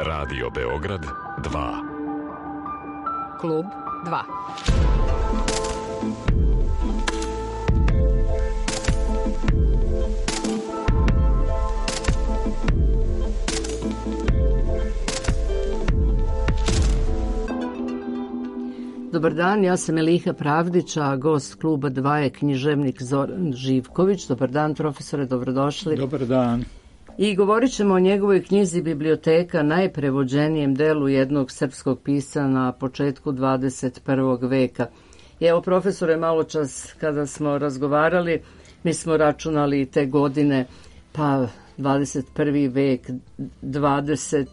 Radio Beograd 2. Klub 2. Dobar dan, ja sam Eliha Pravdić, a gost kluba 2 je književnik Zoran Živković. Dobar dan, profesore, dobrodošli. Dobar dan. I govorit ćemo o njegovoj knjizi Biblioteka, najprevođenijem delu jednog srpskog pisca na početku 21. veka. I evo, profesore, malo čas kada smo razgovarali, mi smo računali te godine, pa 21. vek, 20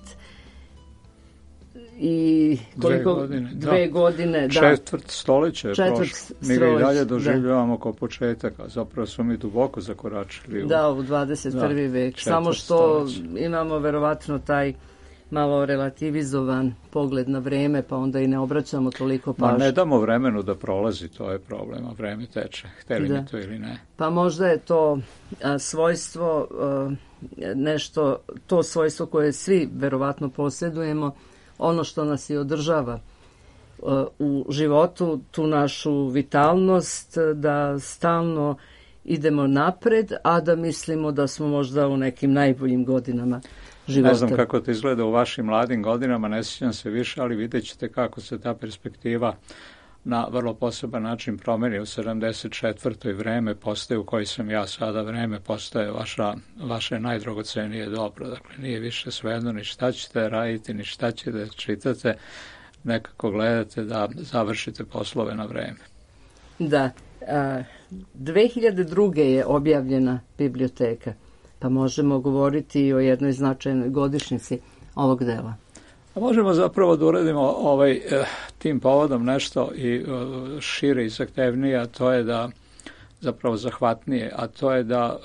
i koliko? Dve godine, da. Četvrt stoljeća je prošlo. Mi ga i dalje doživljavamo kao početak, a zapravo smo mi duboko zakoračili u 21. vek. Samo što imamo verovatno taj malo relativizovan pogled na vreme, pa onda i ne obraćamo toliko pažnje. Ma ne damo vremenu da prolazi, to je problem, a vreme teče, hteli mi to ili ne. Pa možda je to svojstvo, nešto, to svojstvo koje svi verovatno posjedujemo, ono što nas i održava u životu, tu našu vitalnost, da stalno idemo napred, a da mislimo da smo možda u nekim najboljim godinama života. Ne znam kako to izgleda u vašim mladim godinama, ne sjećam se više, ali vidjet ćete kako se ta perspektiva na vrlo poseban način promeni. U 74. vreme postaje u kojoj sam ja sada, vreme postaje vaše najdragocenije dobro. Dakle, nije više svejedno ni šta ćete raditi, ni šta ćete da čitate, nekako gledate da završite poslove na vreme. Da. 2002. je objavljena Biblioteka, pa možemo govoriti i o jednoj značajnoj godišnjici ovog dela. A možemo zapravo da uradimo tim povodom nešto i šire i zahtevnije, a to je da zapravo zahvatnije, a to je da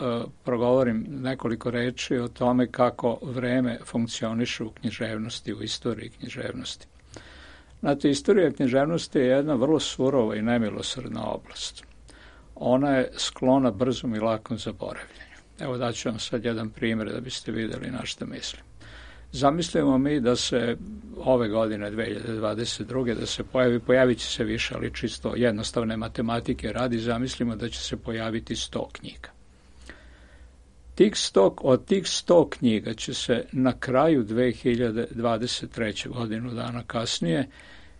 progovorim nekoliko reči o tome kako vreme funkcioniše u književnosti, u istoriji književnosti. Znate, istorija književnosti je jedna vrlo surova i nemilosrdna oblast. Ona je sklona brzom i lakom zaboravljanju. Evo daću vam sad jedan primjer da biste vidjeli na što mislim. Zamislimo mi da se ove godine, 2022. da se pojavit će se više, ali čisto jednostavne matematike radi, zamislimo da će se pojaviti 100 knjiga. Od tih 100 knjiga će se na kraju 2023. godinu dana kasnije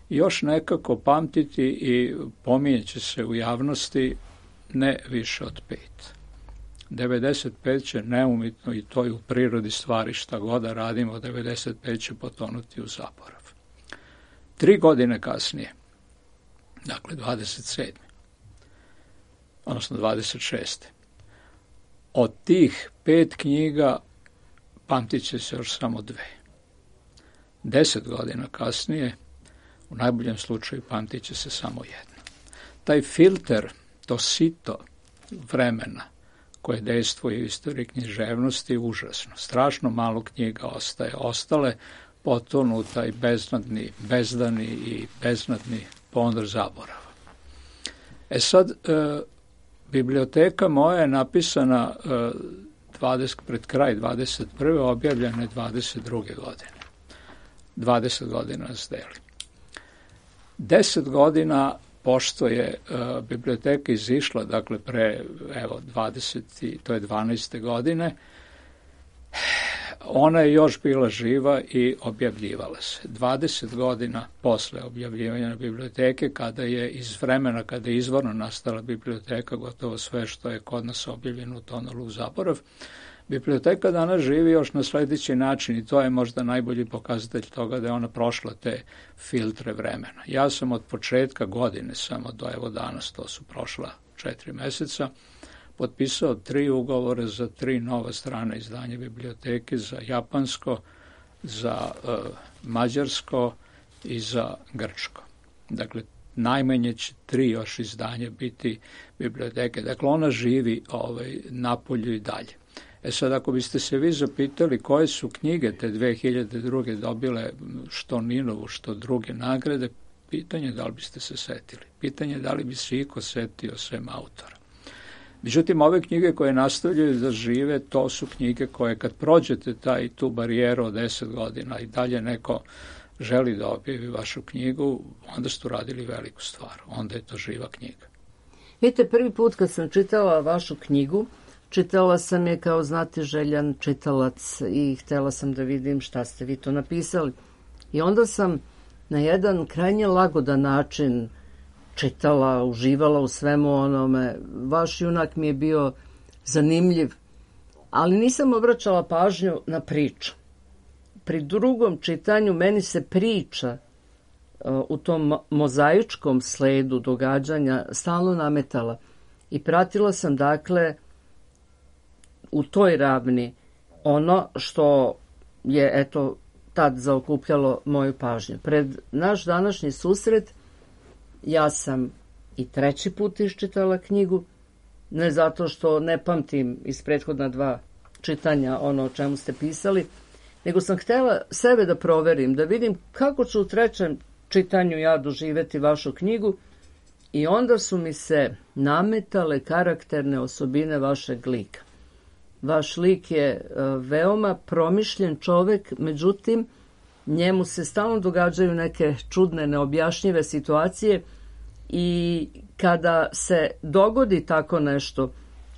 još nekako pamtiti i pominjet će se u javnosti ne više od 5. 95 će neumitno, i to je u prirodi stvari, šta god da radimo, 95 će potonuti u zaborav. 3 godine kasnije, dakle 27. odnosno 26. od tih 5 knjiga pamtit će se još samo 2. 10 godina kasnije, u najboljem slučaju, pamtit će se samo 1. Taj filter, to sito vremena koje dejstvuje u istoriji književnosti je užasno. Strašno malo knjiga ostaje. Ostale potonu taj bezdani i beznadni ponor zaborava. Sad, biblioteka moja je napisana pred kraj 21. objavljena je 22. godine. 20 godina nas deli. 10 godina pošto je biblioteka izišla, dakle to je 12. godine, ona je još bila živa i objavljivala se. 20 godina posle objavljivanja biblioteke, kada je iz vremena, kada je izvorno nastala biblioteka, gotovo sve što je kod nas objavljeno utonulo u zaborav, biblioteka danas živi još na sljedeći način i to je možda najbolji pokazatelj toga da je ona prošla te filtre vremena. Ja sam od početka godine, samo do evo danas, to su prošla 4 meseca, potpisao 3 ugovore za 3 nova strana izdanja biblioteke, za japansko, za mađarsko i za grčko. Dakle, najmanje će 3 još izdanja biti biblioteke. Dakle, ona živi napolju i dalje. Sad, ako biste se vi zapitali koje su knjige te 2002. dobile što Ninovu, što druge nagrade, pitanje da li biste se setili. Pitanje da li bi se iko setio sem autora. Međutim, ove knjige koje nastavljaju da žive, to su knjige koje kad prođete tu barijeru od 10 godina i dalje neko želi da objavi vašu knjigu, onda ste uradili veliku stvar. Onda je to živa knjiga. Vidite, prvi put kad sam čitala vašu knjigu, čitala sam je kao znatiželjan čitalac i htjela sam da vidim šta ste vi to napisali. I onda sam na jedan krajnje lagodan način čitala, uživala u svemu onome. Vaš junak mi je bio zanimljiv, ali nisam obraćala pažnju na priču. Pri drugom čitanju meni se priča u tom mozaičkom sledu događanja stalno nametala i pratila sam dakle u toj ravni ono što je eto tad zaokupljalo moju pažnju. Pred naš današnji susret ja sam i treći put iščitala knjigu, ne zato što ne pamtim iz prethodna 2 čitanja ono o čemu ste pisali, nego sam htjela sebe da proverim, da vidim kako ću u trećem čitanju ja doživjeti vašu knjigu i onda su mi se nametale karakterne osobine vašeg lika. Vaš lik je veoma promišljen čovek, međutim, njemu se stalno događaju neke čudne, neobjašnjive situacije i kada se dogodi tako nešto,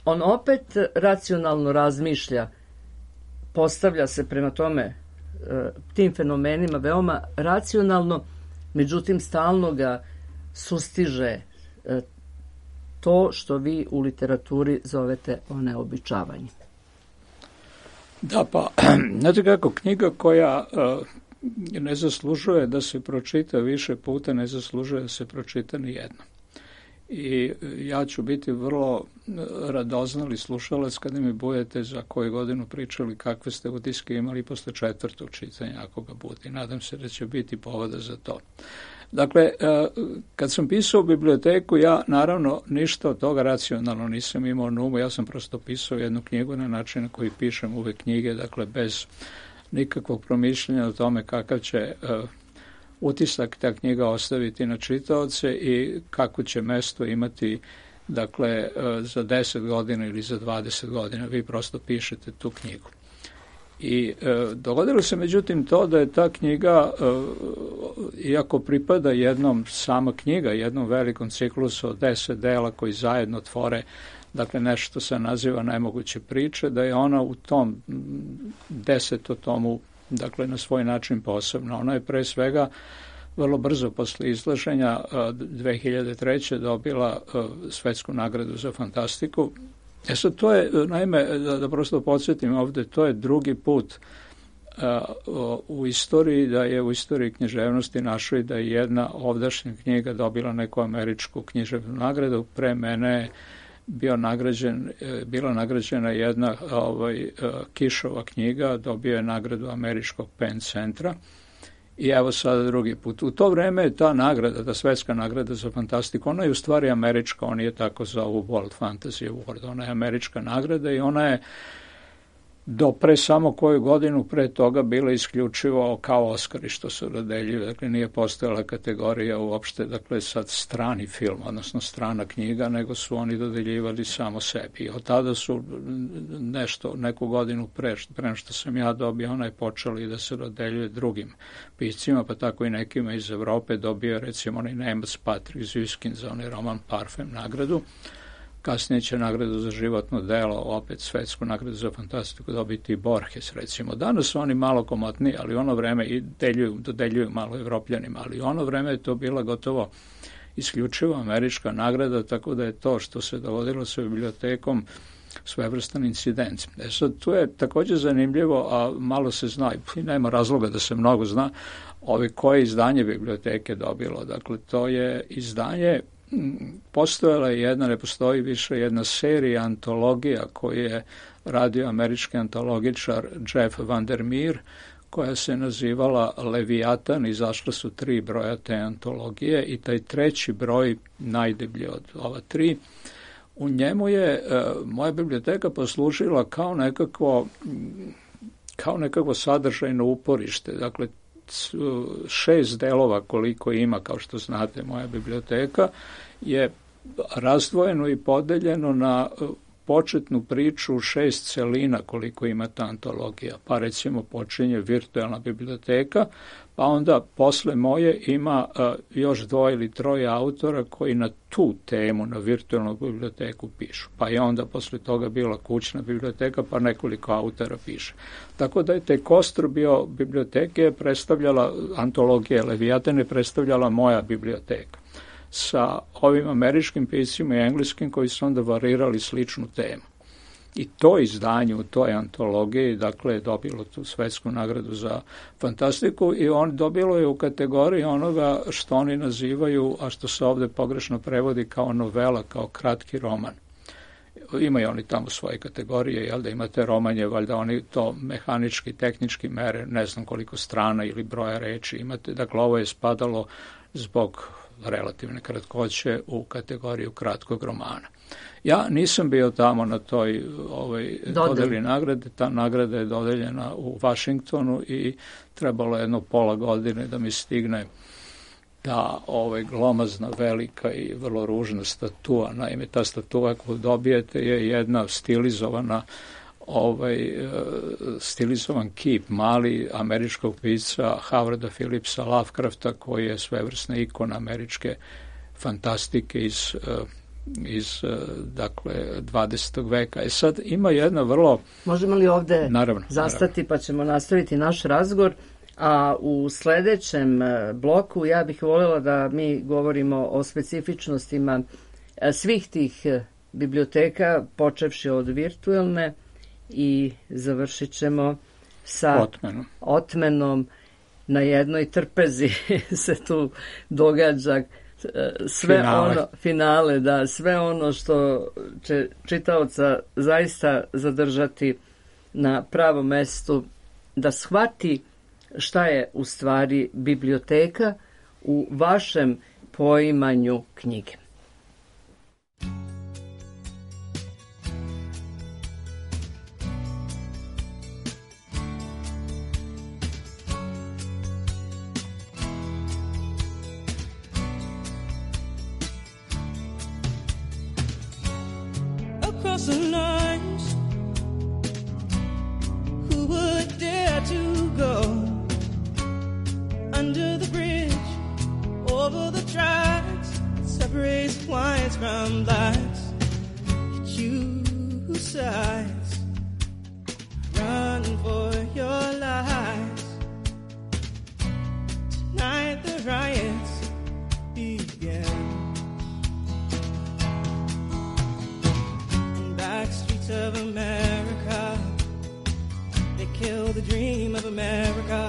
on opet racionalno razmišlja, postavlja se prema tome tim fenomenima veoma racionalno, međutim stalno ga sustiže to što vi u literaturi zovete oneobičavanje. Da, pa, znate kako, knjiga koja ne zaslužuje da se pročita više puta, ne zaslužuje da se pročita ni jedno. I ja ću biti vrlo radoznali slušalac kada mi budete za koju godinu pričali kakve ste utiske imali posle 4. čitanja, ako ga bude. Nadam se da će biti povoda za to. Dakle, kad sam pisao biblioteku, ja naravno ništa od toga racionalno nisam imao na umu, ja sam prosto pisao jednu knjigu na način na koji pišem uvek knjige, dakle bez nikakvog promišljanja o tome kakav će utisak ta knjiga ostaviti na čitaoce i kako će mesto imati, dakle, za 10 godina ili za 20 godina. Vi prosto pišete tu knjigu. I dogodilo se međutim to da je ta knjiga, iako pripada sama knjiga, jednom velikom ciklusu od 10 dela koji zajedno tvore, dakle nešto se naziva Nemoguće priče, da je ona u tom 10. tomu, dakle na svoj način posebna. Ona je pre svega vrlo brzo posle izlaženja 2003. dobila svetsku nagradu za fantastiku. Sad to je, naime, da prosto podsjetim ovde, to je drugi put u istoriji, da je u istoriji književnosti našoj da je jedna ovdašnja knjiga dobila neku američku književnu nagradu. Pre mene je bila nagrađena jedna Kišova knjiga, dobio je nagradu američkog Penn centra. I evo sada drugi put. U to vreme je ta nagrada, ta svetska nagrada za fantastiku, ona je u stvari američka, ona je tako zovu World Fantasy Award, ona je američka nagrada i ona je do pre samo koju godinu pre toga bila isključivo kao Oskari što se dodeljuju, dakle nije postojala kategorija uopšte, dakle sad strani film, odnosno strana knjiga, nego su oni dodeljivali samo sebi. I od tada su neku godinu pre što sam ja dobio, ona je počela i da se dodeljuje drugim piscima, pa tako i nekima iz Evrope. Dobio recimo onaj Nemac Patrick Züskind za onaj roman Parfem nagradu. Kasnije će nagradu za životno delo, opet svetsku nagradu za fantastiku dobiti i Borges, recimo. Danas su oni malo komotniji, ali ono vreme i dodeljuju malo Evropljanima, ali ono vreme je to bila gotovo isključivo američka nagrada, tako da je to što se dogodilo sa bibliotekom svevrstan incident. Sad, tu je također zanimljivo, a malo se zna, i nema razloga da se mnogo zna, koje izdanje biblioteke dobilo. Dakle, to je izdanje, postojala je ne postoji više jedna serija antologija koju je radio američki antologičar Jeff Vandermeer, koja se nazivala Leviatan, izašla su 3 broja te antologije i taj 3. broj, najdeblji od ova 3, u njemu je moja biblioteka poslužila kao nekakvo sadržajno uporište. Dakle, 6 delova koliko ima, kao što znate, moja biblioteka je razdvojeno i podeljeno na početnu priču 6 celina koliko ima ta antologija. Pa recimo počinje virtualna biblioteka, pa onda posle moje ima još 2 ili 3 autora koji na tu temu, na virtualnu biblioteku pišu. Pa je onda posle toga bila kućna biblioteka, pa nekoliko autora piše. Tako da je taj kostur bio biblioteke predstavljala, antologija Leviatan je predstavljala moja biblioteka. Sa ovim američkim piscima i engleskim koji su onda varirali sličnu temu. I to izdanje u toj antologiji, dakle, je dobilo tu svetsku nagradu za fantastiku i on dobilo je u kategoriji onoga što oni nazivaju, a što se ovde pogrešno prevodi kao novela, kao kratki roman. Imaju oni tamo svoje kategorije, jel da imate romanje, valjda oni to mehanički, tehnički mere, ne znam koliko strana ili broja reči imate. Dakle, ovo je spadalo zbog relativne kratkoće u kategoriju kratkog romana. Ja nisam bio tamo na toj dodeli nagrade. Ta nagrada je dodeljena u Vašingtonu i trebalo je jedno pola godine da mi stigne ta glomazna, velika i vrlo ružna statua. Naime, ta statua koju dobijete je jedna stilizovan kip mali američkog pisca Howarda Phillipsa Lovecrafta, koji je svevrsna ikona američke fantastike iz 20. veka. Sad ima jedna vrlo... Možemo li ovde zastati pa ćemo nastaviti naš razgovor, a u sledećem bloku ja bih voljela da mi govorimo o specifičnostima svih tih biblioteka, počevši od virtualne i završit ćemo sa otmenom. Na jednoj trpezi se tu događa finale, da, sve ono što će čitaoca zaista zadržati na pravom mestu, da shvati šta je u stvari biblioteka u vašem poimanju knjige. The lines, who would dare to go under the bridge, over the tracks that separates whites from blacks? Choose sides, run for your lives. Tonight the riots begin. Of America, they kill the dream of America.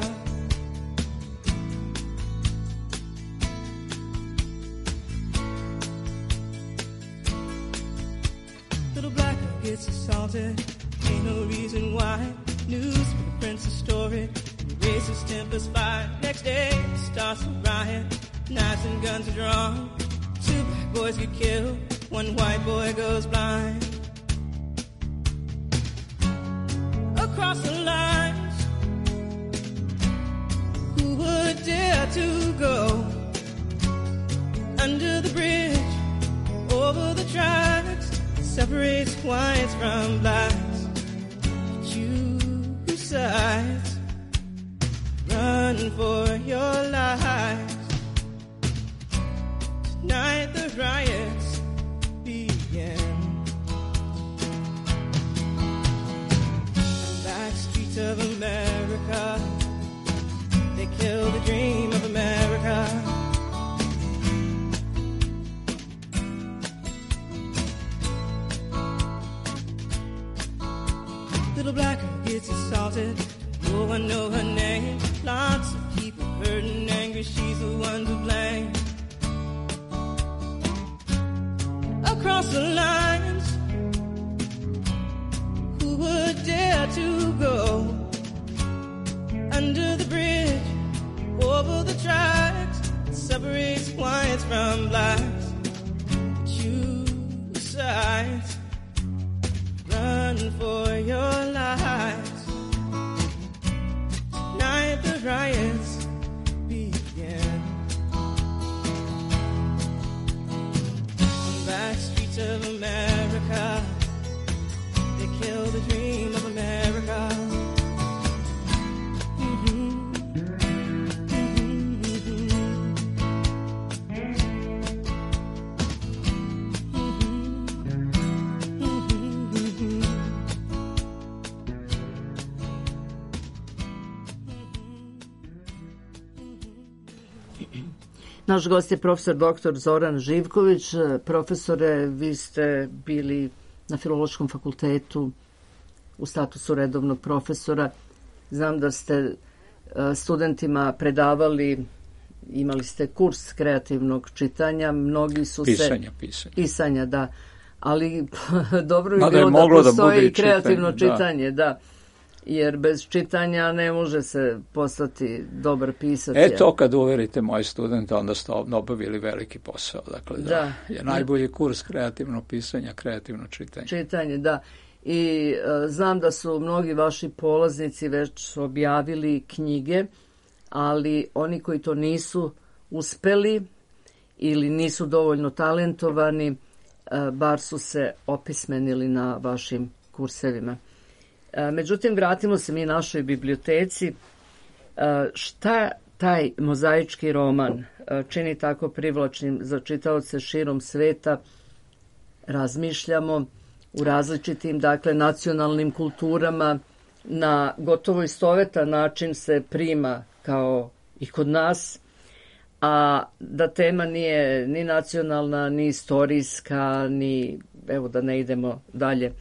Little black girl gets assaulted, ain't no reason why. News for the prince's story, racist tempers fight. Next day it starts a riot, knives and guns are drawn. 2 black boys get killed, 1 white boy goes blind. Across the lines, who would dare to go under the bridge, over the tracks that separates whites from blacks? Choose sides, run for your lives. Tonight the riots begin. Of America, they kill the dream of America. Little black girl gets assaulted, no one know her name. Lots of people hurt and angry, she's the one to blame. Across the lines, who would dare to go under the bridge, over the tracks that separates whites from blacks? Choose sides, run for your lives. Tonight the riots begin. kill the dream of America. Naš gost je profesor dr. Zoran Živković. Profesore, vi ste bili na Filološkom fakultetu u statusu redovnog profesora. Znam da ste studentima predavali, imali ste kurs kreativnog čitanja, mnogi su pisanja, da. Ali dobro bi bilo da postoji i kreativno čitanje, da. Jer bez čitanja ne može se postati dobar pisac. To kad uverite moje studente, onda ste obavili veliki posao. Dakle, da je najbolji kurs kreativno pisanja, kreativno čitanje. Čitanje, da. I znam da su mnogi vaši polaznici već objavili knjige, ali oni koji to nisu uspeli ili nisu dovoljno talentovani, bar su se opismenili na vašim kursevima. Međutim, vratimo se mi našoj biblioteci. Šta taj mozaički roman čini tako privlačnim za čitaoce širom sveta? Razmišljamo u različitim, dakle, nacionalnim kulturama. Na gotovo istovetan način se prima kao i kod nas, a da tema nije ni nacionalna, ni istorijska, ni, evo da ne idemo dalje,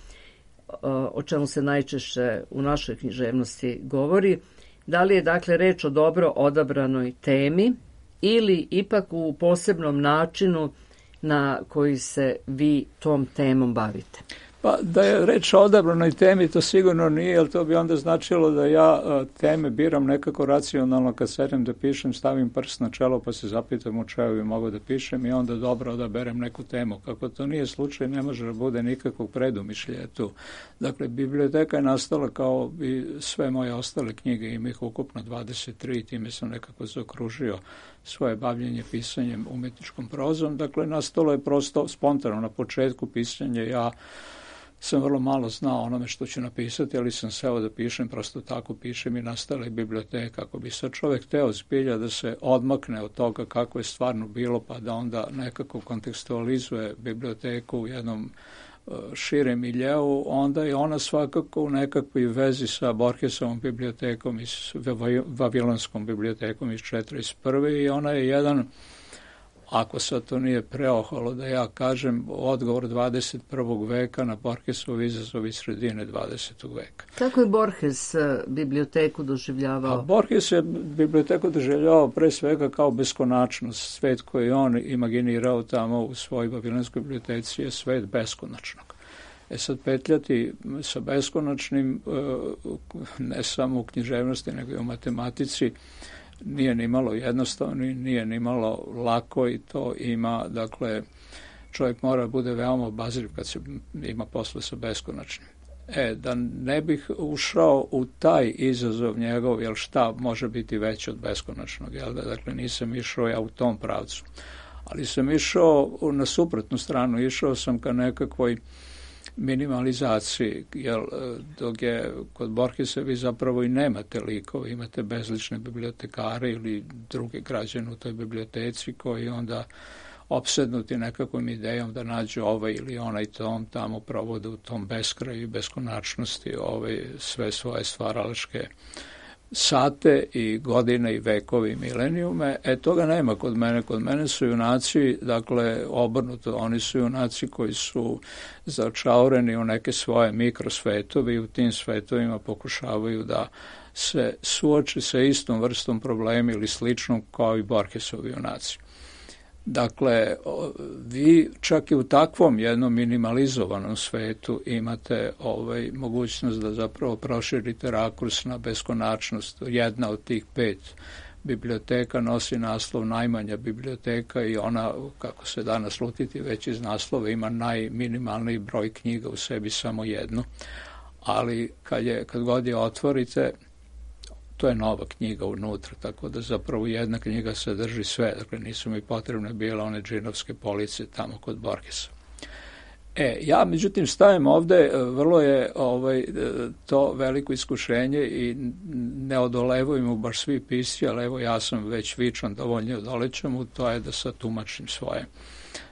o čemu se najčešće u našoj književnosti govori. Da li je, dakle, reč o dobro odabranoj temi ili ipak u posebnom načinu na koji se vi tom temom bavite? Pa da je reč o odabranoj temi, to sigurno nije, jer to bi onda značilo da ja teme biram nekako racionalno, kad sedem da pišem, stavim prst na čelo pa se zapitam o čemu bi mogao da pišem i onda dobro odaberem neku temu. Kako to nije slučaj, ne može da bude nikakvog predumišljaja tu. Dakle, biblioteka je nastala kao i sve moje ostale knjige, ima ih ukupno 23, time sam nekako zaokružio svoje bavljenje pisanjem umetničkom prozom. Dakle, nastalo je prosto spontano na početku pisanja. Ja sam vrlo malo znao onome što ću napisati, ali sam seo da pišem, prosto tako pišem i nastala je biblioteka. Ako bi sad čovjek teo zbilja da se odmakne od toga kako je stvarno bilo, pa da onda nekako kontekstualizuje biblioteku u jednom širem miljeu, onda je ona svakako u nekakvoj vezi sa Borgesovom bibliotekom i Vavilonskom bibliotekom iz 1941. i ona je jedan, ako sad to nije preoholo da ja kažem, odgovor 21. veka na Borgesov izazov iz sredine 20. veka. Kako je Borges biblioteku doživljavao? Borges je biblioteku doživljavao pre svega kao beskonačnost. Svet koji on imaginirao tamo u svojoj Vavilonskoj biblioteci je svet beskonačnog. Sad petljati sa beskonačnim, ne samo u književnosti, nego i u matematici, nije ni malo jednostavno, nije ni malo lako i to ima, dakle, čovjek mora bude veoma obazriv kad se ima posle sa beskonačnim. Da ne bih ušao u taj izazov njegov, jer šta može biti veće od beskonačnog, jel da? Dakle, nisam išao ja u tom pravcu. Ali sam išao na suprotnu stranu, išao sam ka nekakvoj minimalizaciji, jer dok je kod Borgesa vi zapravo i nemate likove, imate bezlične bibliotekare ili druge građane u toj biblioteci koji onda opsednuti nekakvom idejom da nađu ovaj ili onaj tom, tamo provode u tom beskraju i beskonačnosti sve svoje stvaralačke sate i godine i vekovi i milenijume. Toga nema kod mene. Kod mene su junaci, dakle, obrnuto. Oni su junaci koji su začaureni u neke svoje mikrosvetovi i u tim svetovima pokušavaju da se suoči sa istom vrstom problema ili sličnom kao i Borgesovi junaci. Dakle, vi čak i u takvom jednom minimalizovanom svetu imate mogućnost da zapravo proširite rakurs na beskonačnost. Jedna od tih 5 biblioteka nosi naslov najmanja biblioteka i ona, kako se da naslutiti već iz naslova, ima najminimalniji broj knjiga u sebi, samo jednu. Ali kad god je otvorite, to je nova knjiga unutra, tako da zapravo jedna knjiga sadrži sve. Dakle, nisu mi potrebne bile one džinovske police tamo kod Borgesa. Ja međutim stavim ovde, vrlo je to veliko iskušenje i ne odolevuju mu baš svi pisci, ali evo ja sam već vičan dovoljno odolećem mu, to je da sad tumačim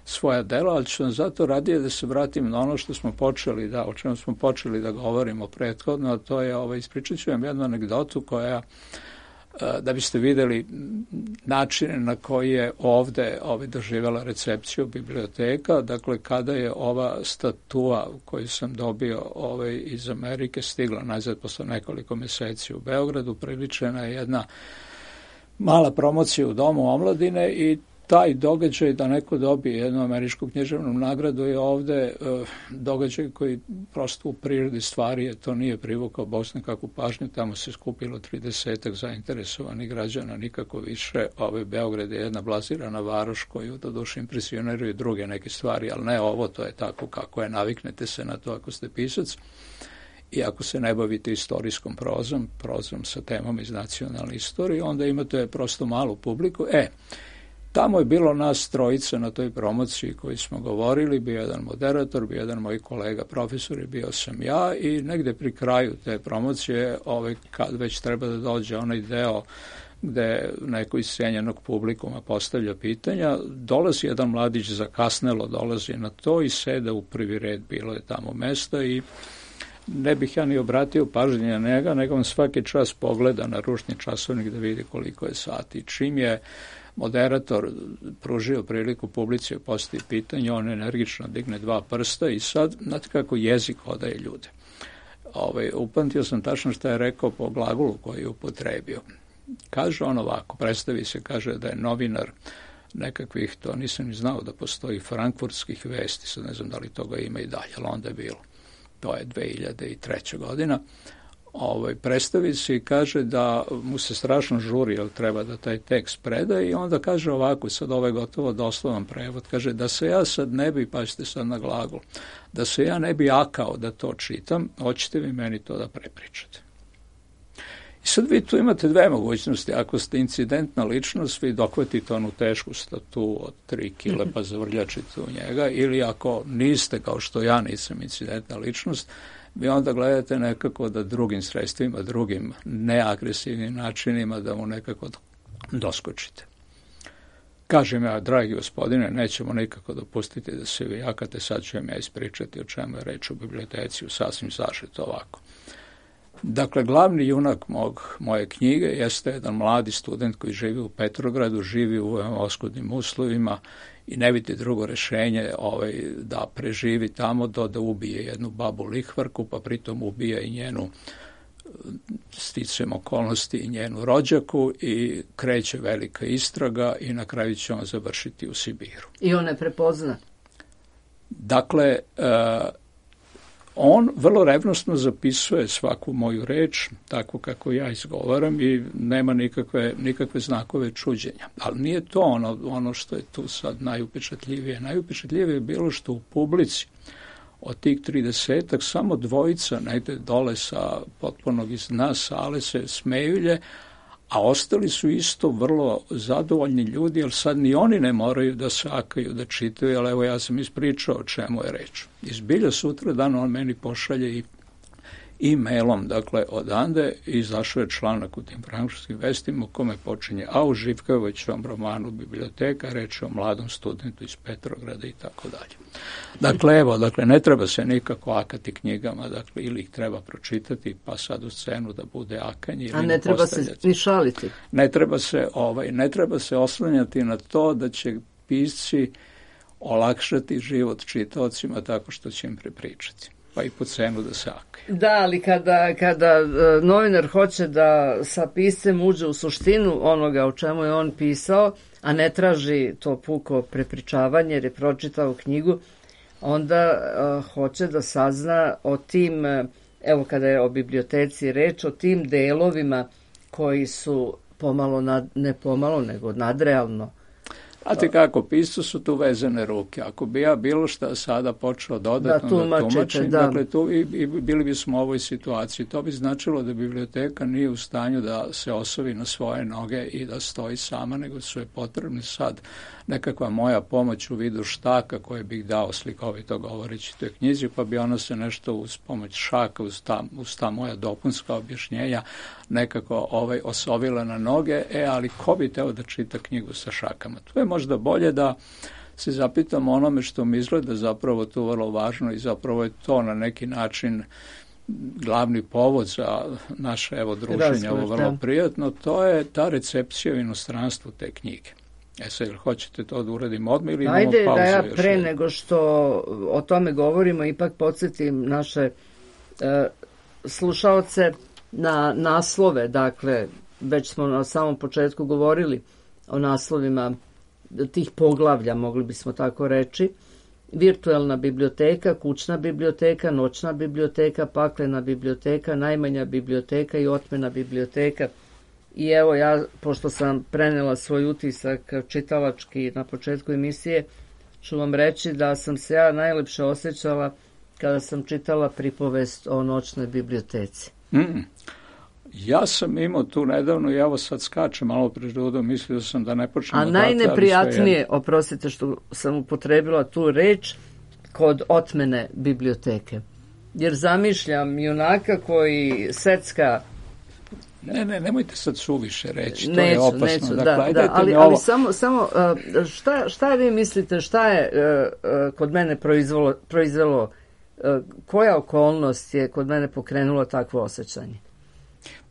svoja dela, ali ću vam zato radije da se vratim na ono što smo počeli o čemu smo počeli da govorimo prethodno, a to je, ispričat ću vam jednu anegdotu koja, da biste vidjeli načine na koji je ovde doživjela recepciju biblioteka. Dakle, kada je ova statua koju sam dobio iz Amerike stigla nazad posle nekoliko meseci u Beogradu, priličena je jedna mala promocija u Domu omladine i taj događaj da neko dobije jednu američku književnu nagradu je ovde događaj koji prosto u prirodi stvari je to nije privukao Bosnu kakvu pažnju, tamo se skupilo 30 zainteresovanih građana, nikako više. Beograd je jedna blazirana varoš koju doduše impresioniraju druge neke stvari, ali ne ovo, to je tako kako je, naviknete se na to ako ste pisac i ako se ne bavite istorijskom prozom sa temom iz nacionalne istorije, onda imate prosto malu publiku. Tamo je bilo nas trojica na toj promociji koji smo govorili, bio jedan moderator, bio jedan moj kolega profesor i bio sam ja i negde pri kraju te promocije, kad već treba da dođe onaj deo gde neko iz cijenjenog publikuma postavlja pitanja, dolazi jedan mladić, zakasnelo dolazi na to i sede u prvi red, bilo je tamo mesta i ne bih ja ni obratio pažnje na njega, nego on svaki čas pogleda na ručni časovnik da vidi koliko je sati. Čim je moderator pružio priliku publici da postavi pitanje, on energično digne 2 prsta i sad, znate kako jezik odaje ljude. Upamtio sam tačno što je rekao po glagolu koji je upotrebio. Kaže on ovako, predstavi se, kaže da je novinar nekakvih, to nisam ni znao da postoji, frankfurtskih vesti, sad ne znam da li toga ima i dalje, ali onda je bilo. To je 2003. godina. Predstavi se i kaže da mu se strašno žuri, jer treba da taj tekst preda i onda kaže ovako, sad ovo je gotovo doslovan prevod, kaže da se ja sad ne bi, pazite sad na glagol, da se ja ne bi akao da to čitam, hoćete vi meni to da prepričate. I sad vi tu imate 2 mogućnosti, ako ste incidentna ličnost, vi dohvatite onu tešku statu od 3 kile pa zavrljačite u njega, ili ako niste, kao što ja nisam incidentna ličnost, vi onda gledate nekako da drugim sredstvima, drugim neagresivnim načinima da mu nekako doskočite. Kažem ja, dragi gospodine, nećemo nikako dopustiti da se vi jakate, sad ću vam ja ispričati o čemu je reč u biblioteci, u sasvim sažeto ovako. Dakle, glavni junak moje knjige jeste jedan mladi student koji živi u Petrogradu, živi u oskudnim uslovima i ne vidi drugo rešenje da preživi tamo da ubije jednu babu lihvarku, pa pritom ubija i njenu, sticajem okolnosti, i njenu rođaku i kreće velika istraga i na kraju će on završiti u Sibiru. I on ne prepozna? Dakle, on vrlo revnosno zapisuje svaku moju reč, tako kako ja izgovaram i nema nikakve znakove čuđenja. Ali nije to ono što je tu sad najupečatljivije. Najupečatljivije je bilo što u publici od tih 30-ak samo 2 negde dole sa potpunog iz dna sale se smejulje, a ostali su isto vrlo zadovoljni ljudi, jer sad ni oni ne moraju da sakaju, da čitaju, ali evo ja sam ispričao o čemu je reč. Izbilja sutra dan on meni pošalje i e-mailom, dakle, odande izašao je članak u tim frankfurtskim vestima u kome počinje, a u Živkovićevom romanu Biblioteka, reč o mladom studentu iz Petrograda i tako dalje. Dakle, evo, ne treba se nikako akati knjigama, dakle, ili ih treba pročitati, pa sad u scenu da bude akanje. Ili a ne treba se ni šaliti. Ne treba se oslanjati na to da će pisci olakšati život čitaocima tako što će im prepričati, pa i po cenu da se akaju. Da, ali kada novinar hoće da sa piscem uđe u suštinu onoga o čemu je on pisao, a ne traži to puko prepričavanje jer je pročitao knjigu, onda hoće da sazna o tim, evo kada je o biblioteci reč, o tim delovima koji su pomalo, ne pomalo, nego nadrealno Znate kako, piscu su tu vezane ruke. Ako bi ja bilo šta sada počeo dodatno da tumačim, dakle tu i bili bismo u ovoj situaciji. To bi značilo da biblioteka nije u stanju da se osovi na svoje noge i da stoji sama, nego su je potrebni sad nekakva moja pomoć u vidu štaka koje bih dao slikovito govoreći toj knjizi, pa bi ona se nešto uz pomoć šaka, uz ta moja dopunska objašnjenja nekako osovila na noge, ali ko bi teo da čita knjigu sa šakama? To je možda bolje da se zapitamo onome što mi izgleda zapravo tu vrlo važno i zapravo je to na neki način glavni povod za naše druženje, ovo vrlo prijatno, to je ta recepcija u inostranstvu te knjige. Sad, hoćete to da uradimo odmah ili imamo pauzu? Ajde da ja pre nego što o tome govorimo, ipak podsjetim naše slušaoce na naslove, dakle, već smo na samom početku govorili o naslovima tih poglavlja, mogli bismo tako reći. Virtualna biblioteka, kućna biblioteka, noćna biblioteka, paklena biblioteka, najmanja biblioteka i otmena biblioteka. I evo ja, pošto sam prenela svoj utisak čitalački na početku emisije, ću vam reći da sam se ja najlepše osjećala kada sam čitala pripovest o noćnoj biblioteci. Ja sam imao tu nedavno i evo sad skačem malo pred rudom, mislio sam da ne počnem. A najneprijatnije, oprostite što sam upotrebila tu reč, kod otmene biblioteke. Jer zamišljam junaka koji secka. Nemojte sad suviše reći, to je opasno. Neću, dakle, ali samo šta vi mislite, šta je kod mene proizvelo, koja okolnost je kod mene pokrenula takvo osjećanje?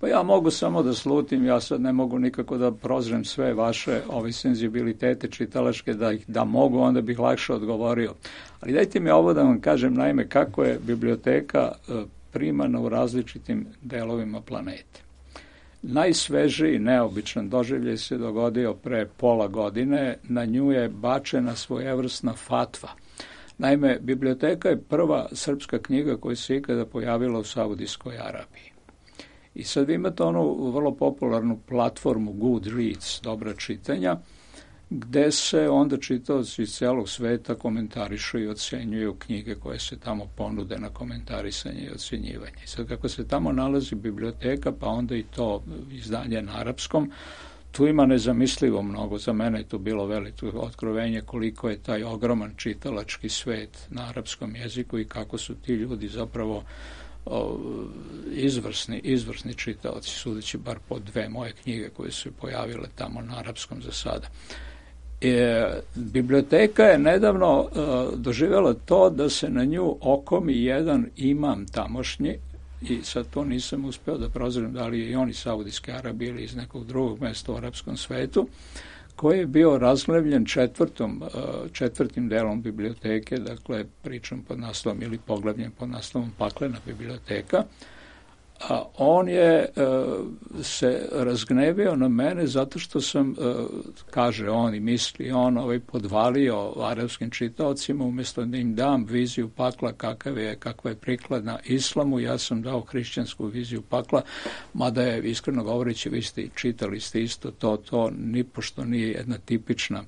Pa ja mogu samo da slutim, ja sad ne mogu nikako da prozrem sve vaše senzibilitete čitalačke, da mogu, onda bih lakše odgovorio. Ali dajte mi ovo da vam kažem, naime, kako je biblioteka primana u različitim delovima planete. Najsvežiji neobičan doživljaj se dogodio pre pola godine, na nju je bačena svojevrsna fatva. Naime, biblioteka je prva srpska knjiga koja se ikada pojavila u Saudijskoj Arabiji. I sad vi imate onu vrlo popularnu platformu Goodreads, dobra čitanja, gde se onda čitaoci iz celog sveta komentarišu i ocenjuju knjige koje se tamo ponude na komentarisanje i ocenjivanje. I sad kako se tamo nalazi biblioteka, pa onda i to izdanje na arapskom, tu ima nezamislivo mnogo. Za mene je to bilo veliko otkrovenje koliko je taj ogroman čitalački svet na arapskom jeziku i kako su ti ljudi zapravo izvrsni čitaoci, sudeći bar po dve moje knjige koje su pojavile tamo na arapskom za sada. Biblioteka je nedavno doživjela to da se na nju okomi jedan imam tamošnji, i sad to nisam uspeo da prozrem da li je i on iz Saudijske Arabije ili iz nekog drugog mesta u arapskom svetu, koji je bio razglevljen četvrtim delom biblioteke, dakle pričam pod naslovom ili poglavljen pod naslovom Paklena biblioteka. A on je se razgnevio na mene zato što sam, kaže on i misli on, podvalio arapskim čitaocima, umjesto da im dam viziju pakla kakva je prikladna islamu, ja sam dao hrišćansku viziju pakla, mada je, iskreno govoreći, vi ste čitali ste isto to nipošto nije jedna tipična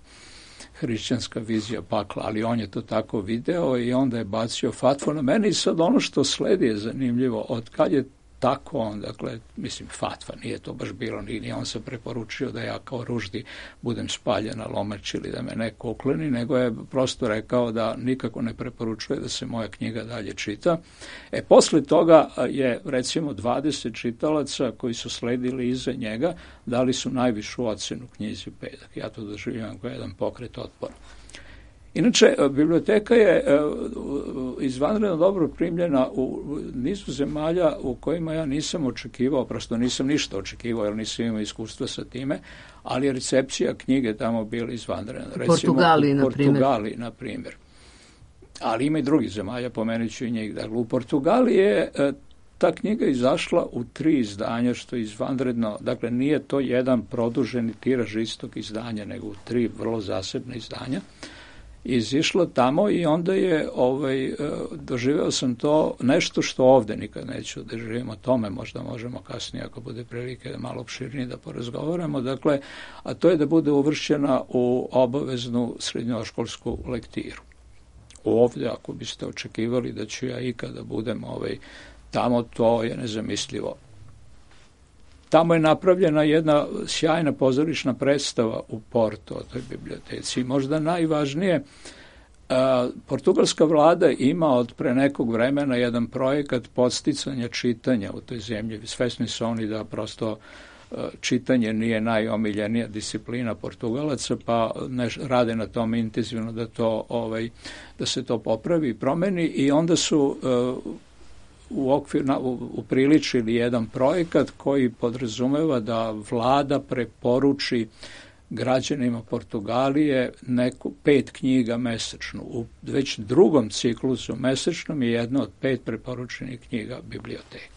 hrišćanska vizija pakla, ali on je to tako video i onda je bacio fatvu na mene. I sad ono što sledi je zanimljivo, od kad je tako on, dakle, mislim, fatva, nije to baš bilo, nije on se preporučio da ja kao Ruždi budem spaljen na lomač ili da me neko ukloni, nego je prosto rekao da nikako ne preporučuje da se moja knjiga dalje čita. Posle toga je, recimo, 20 čitalaca koji su sledili iza njega, dali su najvišu ocenu knjizi Pedak. Ja to doživljavam kao jedan pokret otpora. Inače, biblioteka je izvanredno dobro primljena u nizu zemalja u kojima ja nisam očekivao, prosto nisam ništa očekivao jer nisam imao iskustva sa time, ali je recepcija knjige tamo bila izvanredna. Recimo, u Portugaliji, na primjer. Ali ima i drugih zemalja, pomenut ću i njih. Dakle, u Portugaliji je ta knjiga izašla u 3 izdanja, što je izvanredno. Dakle, nije to jedan produženi tiraž istog izdanja, nego u 3 vrlo zasebne izdanja. izišlo tamo i onda je doživeo sam to nešto što ovde nikad neću da živim, o tome možda možemo kasnije ako bude prilike malo opširnije da porazgovaramo, dakle, a to je da bude uvršćena u obaveznu srednjoškolsku lektiru. Ovde, ako biste očekivali da ću ja ikada budem tamo, to je nezamislivo. Tamo je napravljena jedna sjajna pozorišna predstava u Portu o toj biblioteci. Možda najvažnije, portugalska vlada ima od pre nekog vremena jedan projekat podsticanja čitanja u toj zemlji. Svesni su oni da prosto čitanje nije najomiljenija disciplina Portugalaca, pa rade na tom intenzivno da se to popravi i promeni, i onda su upriličili jedan projekat koji podrazumeva da vlada preporuči građanima Portugalije 5 knjiga mesečno. U već drugom ciklusu mesečnom je jedna od 5 preporučenih knjiga biblioteka.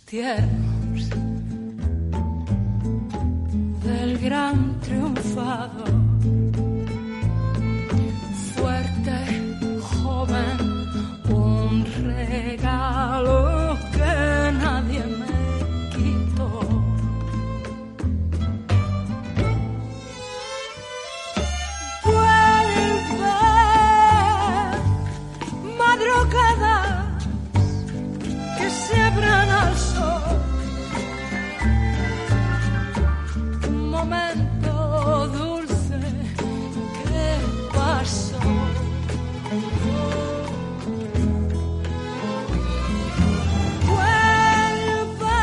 Tiernos del gran triunfador, fuerte, joven, un regalo que nadie me quitó. Vuelve, madrugadas que se abran al sol. Momento dulce que pasó. Vuelve,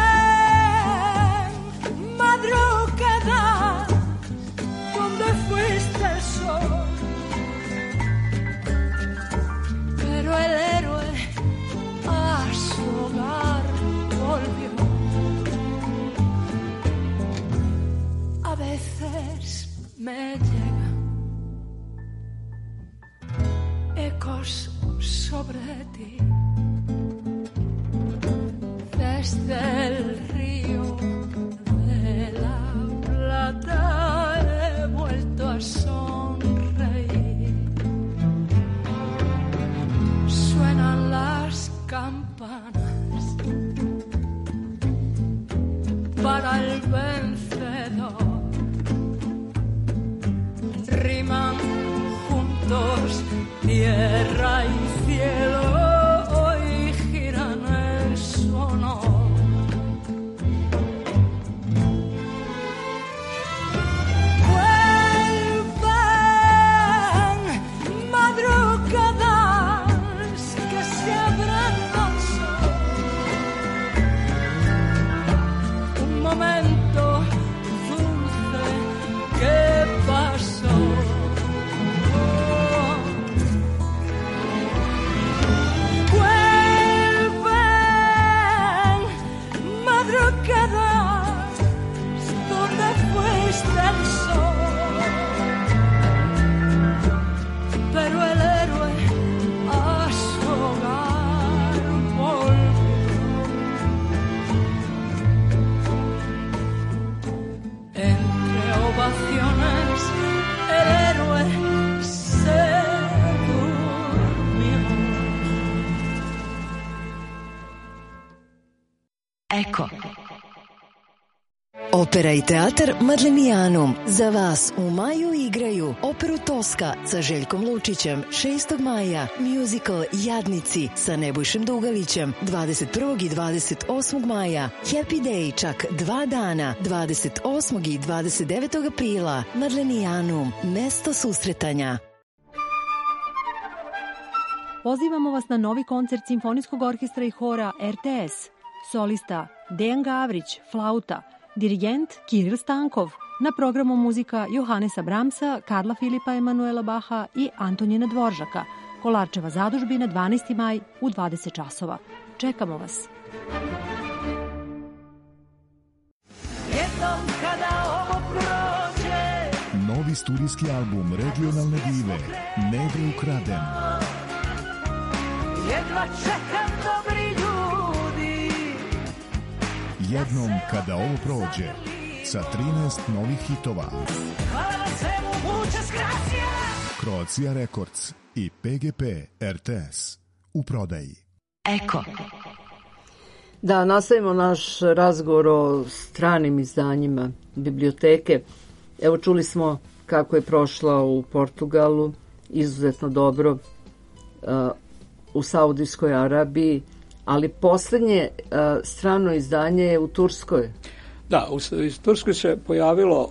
madrugada, donde fuiste el sol. Pero el héroe a su hogar volvió. A veces me llegan ecos sobre ti, desde el río de la Plata he vuelto a sonreír. Suenan las campanas para el vencedor. Riman juntos tierra y cielo, hoy giran en su honor. Vuelven madrugadas que se abran al sol. Un momento dulce que pasó. Donde fuiste el sol, pero el héroe a su hogar volvió. Entre ovaciones el héroe se durmió. Eko. Opera i teatar Madlenijanum za vas u maju igraju operu Toska sa Željkom Lučićem 6. maja, musical Jadnici sa Nebojšem Dugalićem 21. i 28. maja, Happy Day čak 2 dana 28. i 29. aprila. Madlenijanum, mesto susretanja. Pozivamo vas na novi koncert Simfonijskog orkestra i hora RTS. Solista Dejan Gavrić, flauta, dirigent Kiril Stankov, na programu muzika Johanesa Brahmsa, Karla Filipa Emanuela Baha i Antonina Dvoržaka. Kolarčeva zadužbina 12. maj u 20 časova. Čekamo vas. Jednom kada ovo prođe, Novi studijski album regionalne dive Nebe ukraden. jedva čekam dobri ljudi. Jednom kada ovo prođe, sa 13 novih hitova. Hvala na svemu, muchas gracias. Croatia Records i PGP RTS u prodaji. Eko. Da, nastavimo naš razgovor o stranim izdanjima biblioteke. Evo, čuli smo kako je prošla u Portugalu, izuzetno dobro, u Saudijskoj Arabiji, ali poslednje strano izdanje je u Turskoj. Da, u Turskoj se pojavilo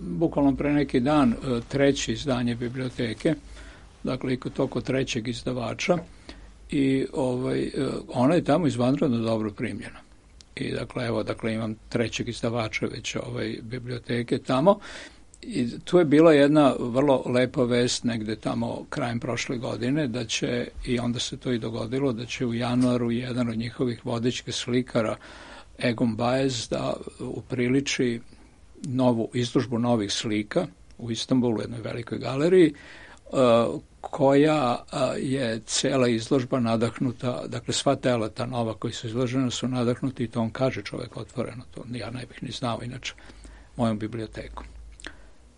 bukvalno pre neki dan treće izdanje biblioteke, dakle i kod trećeg izdavača, i ona je tamo izvanredno dobro primljena. I dakle imam trećeg izdavača već biblioteke tamo, i tu je bila jedna vrlo lepa vest negde tamo krajem prošle godine, da će, i onda se to i dogodilo, da će u januaru jedan od njihovih vodećih slikara, Egon Baez, da upriliči novu izložbu novih slika u Istanbulu, u jednoj velikoj galeriji, koja je cela izložba nadahnuta, dakle sva tela ta nova koji su izložena su nadahnuti, i to on kaže čovek otvoreno, to ja ne bih ni znao inače, mojom bibliotekom.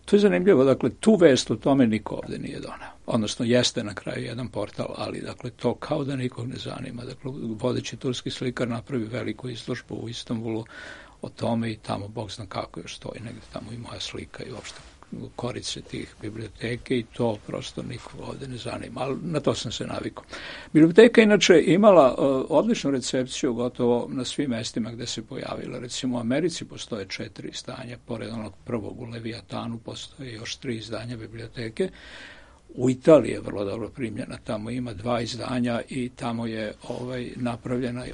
To je zanimljivo, dakle tu vest o tome niko ovde nije doneo. Odnosno jeste na kraju jedan portal, ali dakle to kao da nikog ne zanima. Dakle, vodeći turski slikar napravi veliku izložbu u Istanbulu o tome, i tamo Bog zna kako još stoji, negde tamo i moja slika i uopšte korice tih biblioteke, i to prosto nikog ovde ne zanima, ali na to sam se navikao. Biblioteka inače imala odličnu recepciju gotovo na svim mestima gde se pojavila. Recimo u Americi postoje 4 izdanja, pored onog prvog u Leviatanu postoje još 3 izdanja biblioteke. U Italiji je vrlo dobro primljena, tamo ima 2 izdanja i tamo je napravljena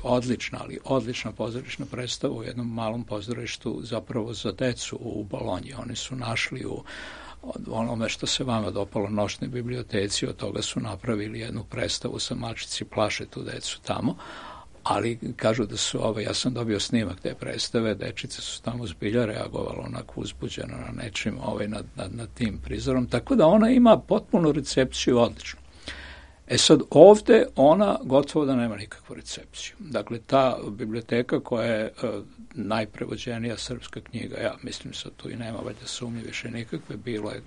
odlična pozorišna predstava u jednom malom pozorištu zapravo za decu u Bolonji. Oni su našli u onome što se vama dopalo, Noćnoj biblioteci, od toga su napravili jednu predstavu sa Mačici plaše tu decu tamo, ali kažu da su, ja sam dobio snimak te predstave, dečice su tamo zbilja reagovalo onako uzbuđeno na nečim, nad tim prizorom, tako da ona ima potpunu recepciju odličnu. E sad, ovde ona gotovo da nema nikakvu recepciju. Dakle, ta biblioteka koja je najprevođenija srpska knjiga, ja mislim sad tu i nema valjda sumnje više nikakve, bilo je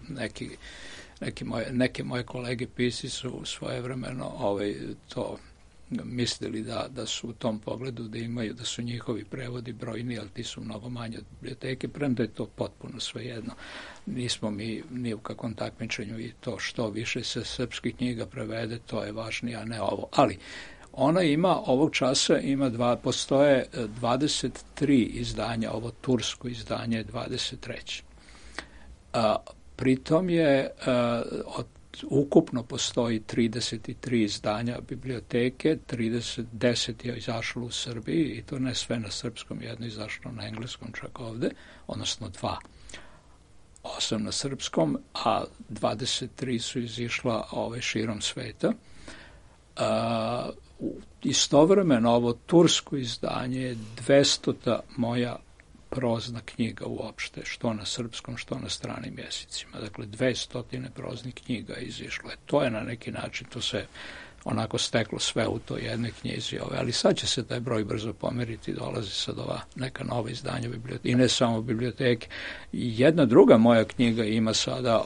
neke moje kolege pisci su svojevremeno to mislili da su u tom pogledu da su njihovi prevodi brojni, ali ti su mnogo manje od biblioteke, premda je to potpuno svejedno. Nismo mi ni u kakvom takmičenju, i to što više se srpskih knjiga prevede, to je važnije, a ne ovo. Ali ona ima, ovog časa postoje 23 izdanja, ovo tursko izdanje je 23. Pritom je ukupno postoji 33 izdanja biblioteke, 10 je izašlo u Srbiji, i to ne sve na srpskom, jedno izašlo na engleskom čak ovde, odnosno 8 na srpskom, a 23 su izišla širom sveta. Istovremeno ovo tursko izdanje je 200. moja prozna knjiga uopšte, što na srpskom, što na stranim jezicima. Dakle, 200 proznih knjiga je izišlo. To je na neki način, to se onako steklo sve u toj jednoj knjizi. Ali sad će se taj broj brzo pomeriti, dolazi sad ova neka nova izdanja biblioteke. I ne samo biblioteke. Jedna druga moja knjiga ima sada,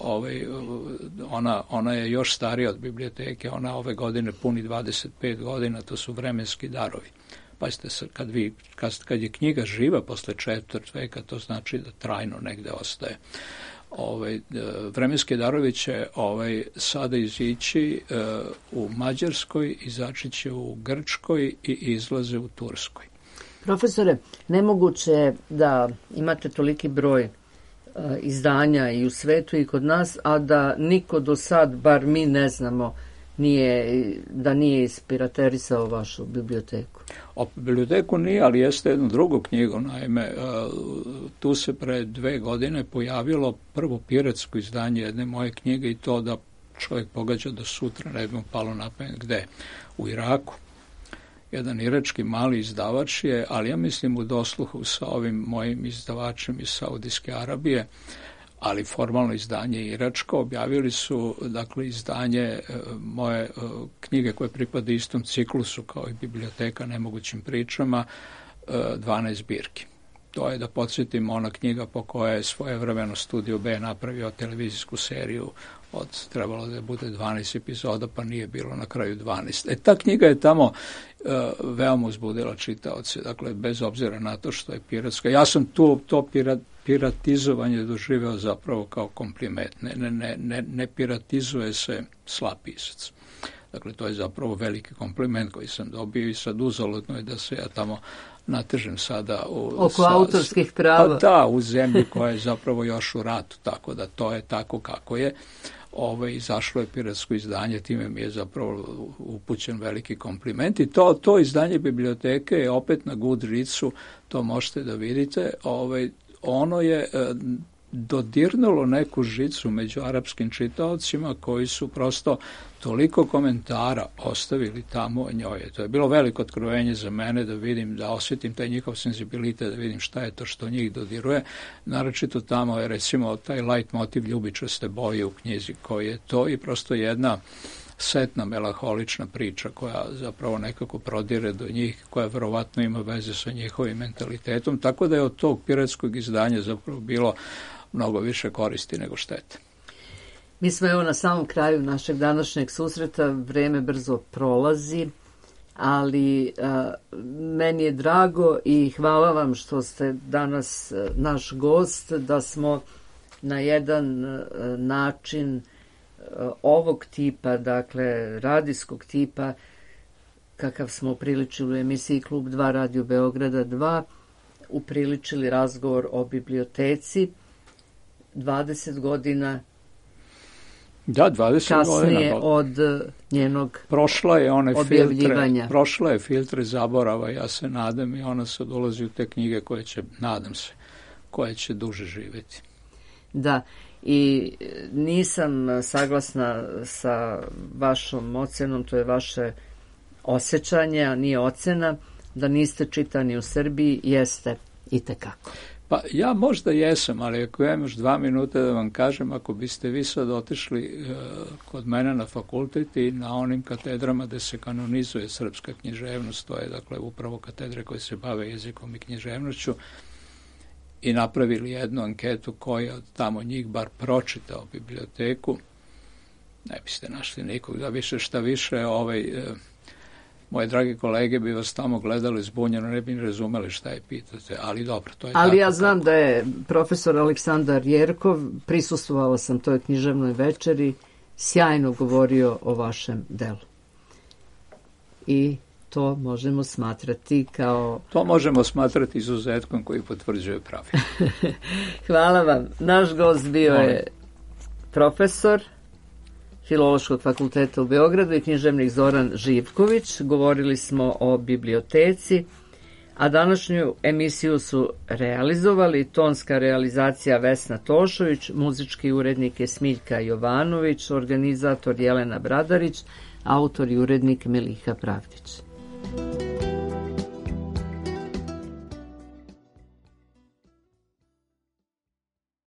ona je još starija od biblioteke, ona ove godine puni 25 godina, to su Vremenski darovi. Pazite, kad je knjiga živa posle 4. veka, to znači da trajno negde ostaje. Vremenski darovi će sada izići u Mađarskoj, izaći će u Grčkoj i izlaze u Turskoj. Profesore, nemoguće je da imate toliki broj izdanja i u svetu i kod nas, a da niko do sad, bar mi ne znamo, da nije ispiraterisao vašu biblioteku. O biblioteku nije, ali jeste jednu drugu knjigu. Naime, tu se pre 2 godine pojavilo prvo piratsko izdanje jedne moje knjige i to da čovjek pogađa da sutra ne bi mu palo na pamet gde? U Iraku. Jedan irački mali izdavač je, ali ja mislim u dosluhu sa ovim mojim izdavačem iz Saudijske Arabije, ali formalno izdanje iračko, objavili su dakle izdanje moje knjige koje pripada istom ciklusu kao i biblioteka nemogućim pričama, 12 zbirki. To je, da podsjetim, ona knjiga po kojoj je svojevremeno Studio B napravio televizijsku seriju trebalo da bude 12 epizoda, pa nije bilo na kraju 12. Ta knjiga je tamo veoma uzbudila čitaoce, dakle, bez obzira na to što je piratska. Ja sam to piratizovanje doživeo zapravo kao kompliment. Ne piratizuje se slab pisac. Dakle, to je zapravo veliki kompliment koji sam dobio i sad uzaludno je da se ja tamo natežem sada oko autorskih prava. Pa da, u zemlji koja je zapravo još u ratu, tako da to je tako kako je. Izašlo je piratsko izdanje, time mi je zapravo upućen veliki kompliment i to izdanje biblioteke je opet na Goodreadsu, to možete da vidite, ono je dodirnulo neku žicu među arapskim čitaocima koji su prosto toliko komentara ostavili tamo o njoj. To je bilo veliko otkrovenje za mene da vidim, da osjetim taj njihov senzibilitet, da vidim šta je to što njih dodiruje. Naročito tamo je recimo taj light motiv ljubičaste boje u knjizi koji je to i prosto jedna setna, melaholična priča koja zapravo nekako prodire do njih, koja verovatno ima veze sa njihovim mentalitetom, tako da je od tog piratskog izdanja zapravo bilo mnogo više koristi nego štete. Mi smo evo na samom kraju našeg današnjeg susreta, vreme brzo prolazi, ali meni je drago i hvala vam što ste danas naš gost, da smo na jedan način ovog tipa, dakle radijskog tipa, kakav smo upriličili u emisiji Klub 2 Radio Beograda 2, upriličili razgovor o biblioteci 20 godina da, 20 kasnije godina. Od njenog objavljivanja. Prošla je filtre zaborava, ja se nadam, i ona sad ulazi u te knjige koje će, nadam se, koje će duže živjeti. Da, i nisam saglasna sa vašom ocenom, to je vaše osjećanje, a nije ocena, da niste čitani u Srbiji, jeste itekako. Pa ja možda jesam, ali ako imam još 2 minuta da vam kažem, ako biste vi sad otišli kod mene na fakultet i na onim katedrama gde se kanonizuje srpska književnost, to je dakle upravo katedre koje se bave jezikom i književnošću, i napravili jednu anketu koja od tamo njih bar pročitao biblioteku, ne biste našli nikog, da više šta više moje drage kolege bi vas tamo gledali zbunjeno, ne bi razumeli šta je pitate, ali dobro, to je tako. Ali ja znam da je profesor Aleksandar Jerkov, prisustvovala sam toj književnoj večeri, sjajno govorio o vašem delu. I to možemo smatrati kao... To možemo smatrati izuzetkom koji potvrđuje pravilo. Hvala vam. Naš gost bio je profesor Filološkog fakulteta u Beogradu i književnik Zoran Živković. Govorili smo o biblioteci, a današnju emisiju su realizovali tonska realizacija Vesna Tošović, muzički urednik je Smiljka Jovanović, organizator Jelena Bradarić, autor i urednik Miliha Pravdić.